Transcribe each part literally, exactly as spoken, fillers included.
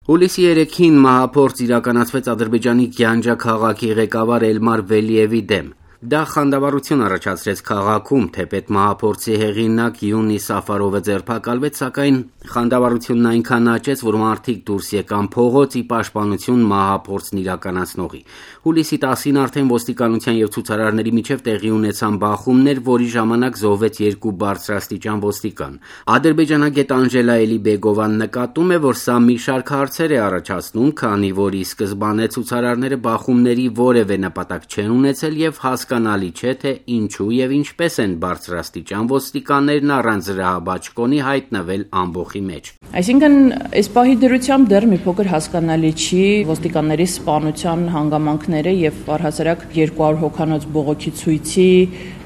Հուլիսի երեքին մահափորձ իրականացվեց Ադրբեջանի Գյանջա քաղաքի ղեկավար Էլմար Վելիևի դեմ։ Դա խանդավառություն առաջացրեց քաղաքում, թեպետ մահափորձի հեղինակ Յունի Սաֆարովը ձերբակալվեց, սակայն խանդավառությունն այնքան աճեց, որ մարդիկ դուրս եկան փողոց ի պաշտպանություն մահափորձն իրականացնողի։ Հուլիսի տասին արդեն ոստիկանության և ցուցարարների միջև տեղի ունեցան բախումներ, որի ժամանակ զոհվեց երկու բարձրաստիճան ոստիկան։ Ադրբեջանագետ Անժելա Էլիբեգովան նկատում է, որ սա մի շարք հարցեր է առաջացնում, քանի որ ի սկզբանե ցուցարարները բախումների որևէ նպատակ չեն ունեցել և հասկանալի չէ, թե ինչու և ինչպես են բարձրաստիճան ոստիկաններն առանց զրահաբաճկոնի հայտնվել ամբոխի մեջ։ Այսինքն, այս պահի դրությամբ դեռ մի փոքր հասկանալի չի ոստիկանների սպանության հանգամանքները և առհասարակ երկու հարյուր հոգանոց բողոքի ցույցի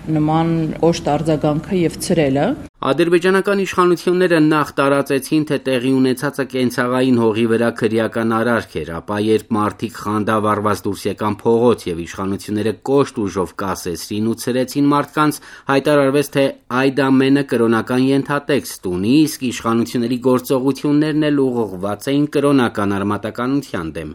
նման կոշտ արձագանքը և ցրելը։ Ադրբեջանական իշխանությունները նախ տարածեցին, թե տեղի ունեցածը կենցաղային հողի վրա քրեական արարք էր, ապա երբ մարդիկ խանդավառված դուրս եկան փողոց և իշխանությունները կոշտ ուժով կասեցրին ու ցրեցին մարդկանց, հայտարարվեց, թե այդ ամենը կրոնական ենթատեքստ ունի, իսկ իշխանությունների գործողություններն էլ ուղղված էին կրոնական արմատականության դեմ։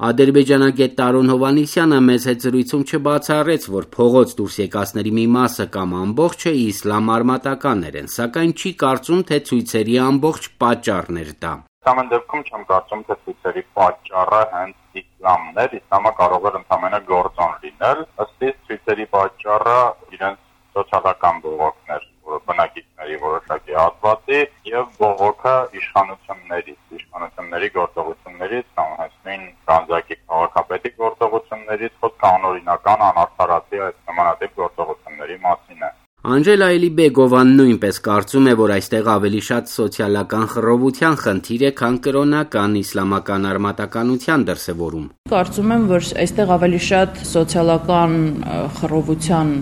Ադրբեջանագետ Տարոն Հովհաննիսյանը մեծ հետ զրույցում չբացառեց, որ փողոց դուրս եկածների մի մասը կամ ամբողջը իսլամ արմատականներ են, սակայն չի կարծում, թե ցույցերի ամբողջ պատճառն էր դա։ Ամեն դեպքում չեմ կարծում, թե ցույցերի պատճառը հենց իսլամն էր, իսլամը կարող էր ընդամենը գործոն լինել, ըստ իս ցույցերի պատճառը իրենց սոցիալական բողոքն էր, որը բնակիչների որոշակի հատվածի եւ բողոքը իշխանություններից, իշխանությունների գործողություններից, կամ հենց նույն Գանձակի քաղաքապետի գործողություններից, խոսք կանոնորինական անարդարացի այդ նմանատիպ գործողությունների մասին է։ Անժելա Էլիբեգովան նույնպես կարծում է, որ այստեղ ավելի շատ սոցիալական խռովության խնդիր է, քան կրոնական իսլամական արմատականության դրսևորում։ Կարծում եմ, որ այստեղ ավելի շատ սոցիալական խռովության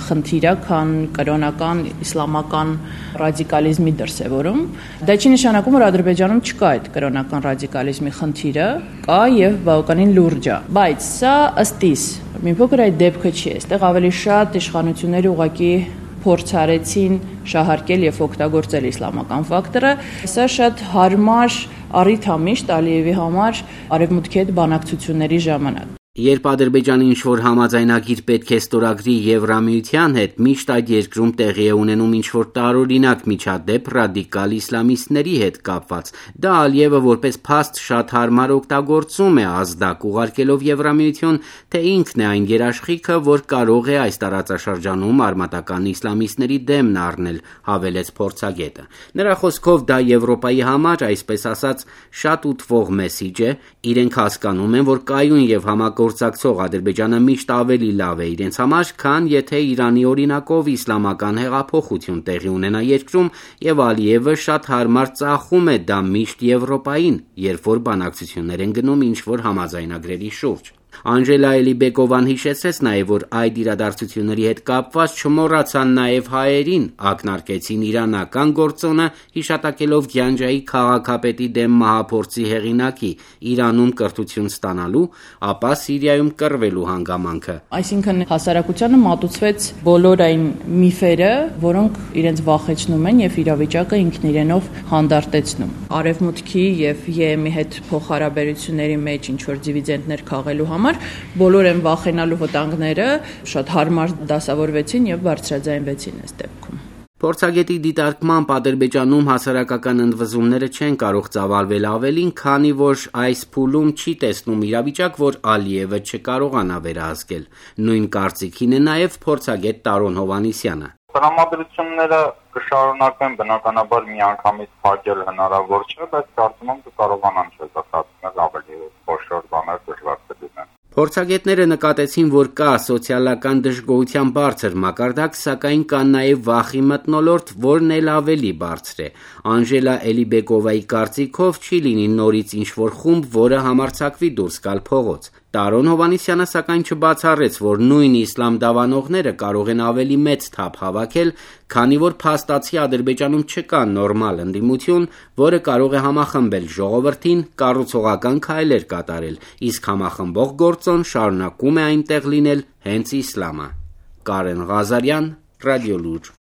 խնդիր է, քան կրոնական իսլամական ռադիկալիզմի դրսևորում։ Դա չի նշանակում, որ Ադրբեջանում չկա այդ կրոնական ռադիկալիզմի խնդիրը, կա եւ բավականին լուրջ է, բայց սա ըստ իս մի փոքր այդ դեպքը չի, այստեղ ավելի շատ իշխանությունները ուղղակի փորձ արեցին շահարկել եւ օգտագործել իսլամական ֆակտորը։ Սա շատ հարմար առիթ է միշտ Ալիևի համար արևմուտքի հետ բանակցությունների ժամանակ։ Երբ Ադրբեջանը ինչ-որ համաձայնագիր պետք է ստորագրի Եվրամիության հետ, միշտ այդ երկրում տեղի է ունենում ինչ-որ տարօրինակ միջադեպ ռադիկալ իսլամիստների հետ կապված։ Դա Ալիևը որպես փաստ շատ հարմար օգտագործում է, ազդակ ուղարկելով Եվրամիություն, թե ինքն է այն երաշխիքը, որ կարող է այս տարածաշրջանում արմատական իսլամիստների դեմն առնել, հավելեց փորձագետը։ Նրա խոսքով դա Եվրոպայի համար, այսպես ասած, շատ ուտվող մեսիջ է, իրենք հասկանում են, որ կայուն եւ համակ գործակցող Ադրբեջանը միշտ ավելի լավ է իրենց համար, քան եթե Իրանի օրինակով իսլամական հեղափոխություն տեղի ունենա երկրում, եւ Ալիևը շատ հարմար ծախում է դա միշտ Եվրոպային, երբ որ բանակցություններ են գնում ինչ-որ համաձայնագրերի շուրջ։ Անժելա Էլիբեգովան հիշեցրեց նաև, որ այդ իրադարձությունների հետ կապված չմոռացան նաև հայերին, ակնարկեցին իրանական գործոնը, հիշատակելով Գյանջայի քաղաքապետի դեմ մահափորձի հեղինակի Իրանում կրթություն ստանալու, ապա Սիրիայում կռվելու հանգամանքը։ Այսինքն հասարակությանը մատուցվեց բոլոր այն միֆերը, որոնք իրենց վախեցնում են եւ իրավիճակը ինքն իրենով հանդարտեցնում։ Արևմուտքի եւ ԵՄ-ի հետ փոխհարաբերությունների մեջ ինչ որ դիվիդենդներ քաղելու համար բոլոր են վախենալու վտանգները շատ հարմար դասավորվեցին եւ բարձրաձայնվեցին այս դեպքում։ Փորձագետի դիտարկմամբ Ադրբեջանում հասարակական ընդվզումները չեն կարող ծավալվել ավելին, քանի որ այս փուլում չի տեսնում իրավիճակ, որ Ալիևը չկարողանա վերահսկել։ Նույն կարծիքին է նաև փորձագետ Տարոն Հովհաննիսյանը։ Տրամադրությունները կշարունակեն, բնականաբար միանգամից փակել հնարավոր չէ, բայց կարծում եմ կկարողանան չզղջացնել ավելի խոշոր բաներ դժվար կլինեն։ Փորձագետները նկատեցին, որ կա սոցիալական դժգոհության բարձր մակարդակ, սակայն կա նաև վախի մթնոլորտ, որն էլ ավելի բարձր է։ Անժելա Էլիբեգովայի կարծիքով չի լինի նորից ինչ-որ խումբ, որը համարձակվի դուրս գալ փողոց։ Տարոն Հովհաննիսյանը սակայն չբացառեց, որ նույն իսլամ դավանողները կարող են ավելի մեծ թափ հավաքել, քանի որ փաստացի Ադրբեջանում չկա նորմալ ընդդիմություն, որը կարող է համախմբել ժողովրդին, կառուցողական քայլեր կատարել, իսկ համախմբող գործոն շարունակում է այնտեղ լինել հենց իսլամը։ Կարեն Ղազարյան, Ռադիոլուր։